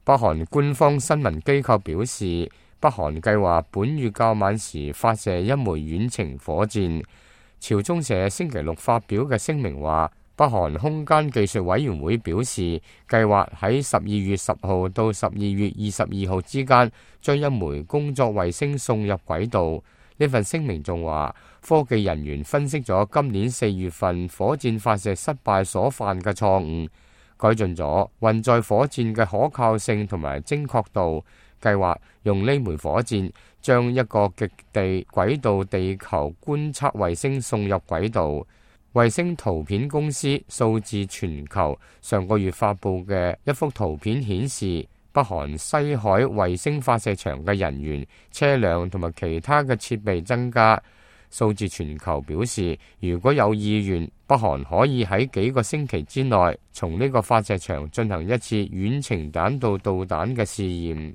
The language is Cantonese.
北韓官方新聞機構表示，北韓計劃本月較晚時發射一枚遠程火箭。朝中社星期六發表嘅聲明話，北韓空間技術委員會表示，計劃喺12月10號到12月22號之間將一枚工作衛星送入軌道。呢份聲明仲話，科技人員分析咗今年4月份火箭發射失敗所犯嘅錯誤，改進咗運載火箭嘅可靠性同埋精確度。計劃用呢枚火箭將一個極地軌道地球觀測衛星送入軌道。衛星圖片公司數字全球上個月發布嘅一幅圖片顯示，北韓西海衛星發射場嘅人員、車輛同埋其他嘅設備增加。數字全球表示，如果有意願，北韓可以喺幾個星期之內從呢個發射場進行一次遠程彈道導彈嘅試驗。